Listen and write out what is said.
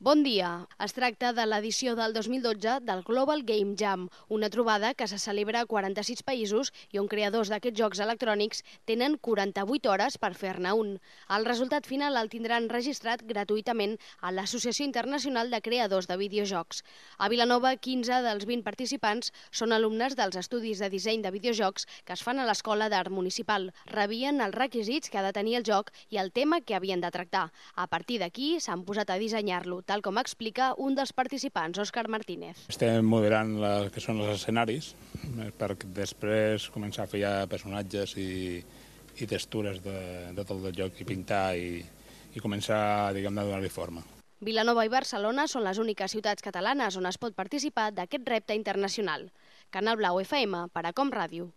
Bon dia. Es tracta de l'edició del 2012 del Global Game Jam, una trobada que se celebra a 46 països i on creadors d'aquests jocs electrònics tenen 48 hores per fer-ne un. El resultat final el tindran registrat gratuïtament a l'Associació Internacional de Creadors de Videojocs. A Vilanova, 15 dels 20 participants són alumnes dels estudis de disseny de videojocs que es fan a l'Escola d'Art Municipal. Rebien els requisits que ha de tenir el joc i el tema que havien de tractar. A partir d'aquí s'han posat a dissenyar-lo, tal com explica un dels participants, Òscar Martínez. Estem modelant el que són els escenaris per després començar a fer ja personatges i textures de tot el joc i pintar i començar, diguem-ne, a donar-li forma. Vilanova i Barcelona són les úniques ciutats catalanes on es pot participar d'aquest repte internacional. Canal Blau FM, per a Com Ràdio.